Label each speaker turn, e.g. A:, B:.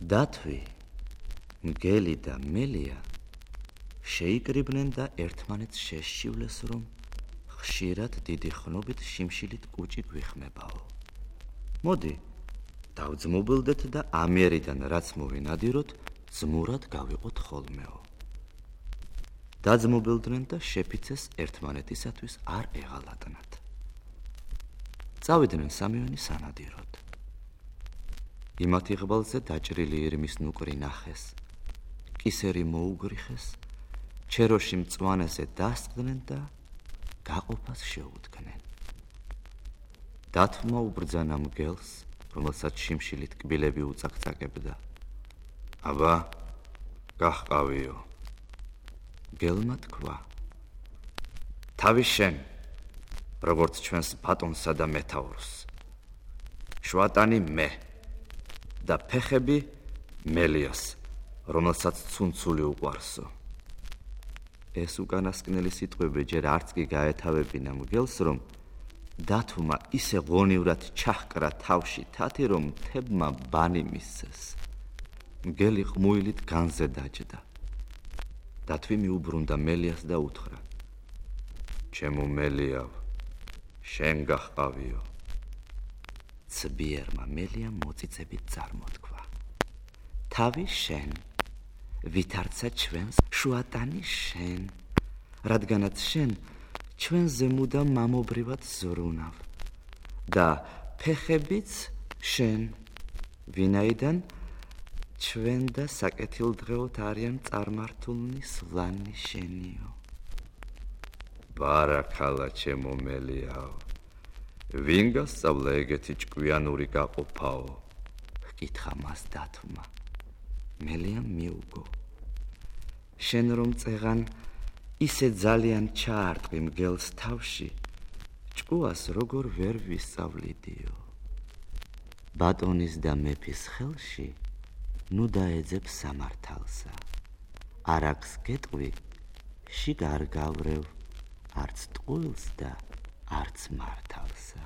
A: დათვი, მგელი და მელია შეიკრიბნენ და ერთმანეთს შეშივლეს, რომ ხშირად დიდი ხნობით შიმშილით კუჭი გვიხმებაო. მოდი, დავძმობილდეთ და ამიერიდან რაც მოვინადიროთ, ძმურად გავიყოთ ხოლმეო. დაძმობილდნენ და შეფიცეს ერთმანეთისათვის არ ეღალატნათ. წავიდნენ სამივენი სანადიროდ. იმათი ღბალზე დაჭრილი ირმის ნუკრი ნახეს, კისერი მოუგრიხეს, ჩეროში მწვანესე დასწყდნენ და გაყოფას შეუდგნენ. დათვმა უბრძანა მგელს, რომელსაც შიმშილით კბილები უწაკწაკებდა. აბა, გაჰყავიო. მგელმა თქვა, თავი შენ, როგორც ჩვენს ბატონსა და მეთაურს. შვატანი მე და ფეხები მელიას, რომელსაც ცუნცული უყვარსო. ეს უკანასკნელი სიტყვები ჯერ არც კი გაეთავებინა მგელს, რომ დათვმა ისე ღონივრად ჩაჰკრა თავში თათი, რომ მთებმა ბანი მისცეს. მგელი ყმუილით განზე დაჯდა. დათვი მიუბრუნდა მელიას და უთხრა, ჩემო მელიავ, შენ გაჰყავიო. ცბიერმა მელიამ მოწიწებით წარმოთქვა, თავი შენ, ვითარცა ჩვენს შვატანი შენ, რადგანაც შენ ჩვენზე მუდამ მამობრივად ზრუნავ და ფეხებიც შენ, ვინაიდან ჩვენ და საკეთილდღეოდ არიან წარმართულნი სვლანი შენიო. ბარაქალა ჩემო მელიაო, ვინ გასწავლა ეგეთი ჭკვიანური გაყოფაო? ჰკითხა მას დათვმა. მელიამ მიუგო. შენ რომ წეღან ისე ძალიან ჩაარტყი მგელს თავში, ჭკუას როგორ ვერ ვისწავლიდიო. ბატონის და მეფის ხელში ნუ დაეძებ სამართალსა. არ აქვს გეტყვი, შიგ არ გავრევ, არც ტყუილს და არც მართალსა.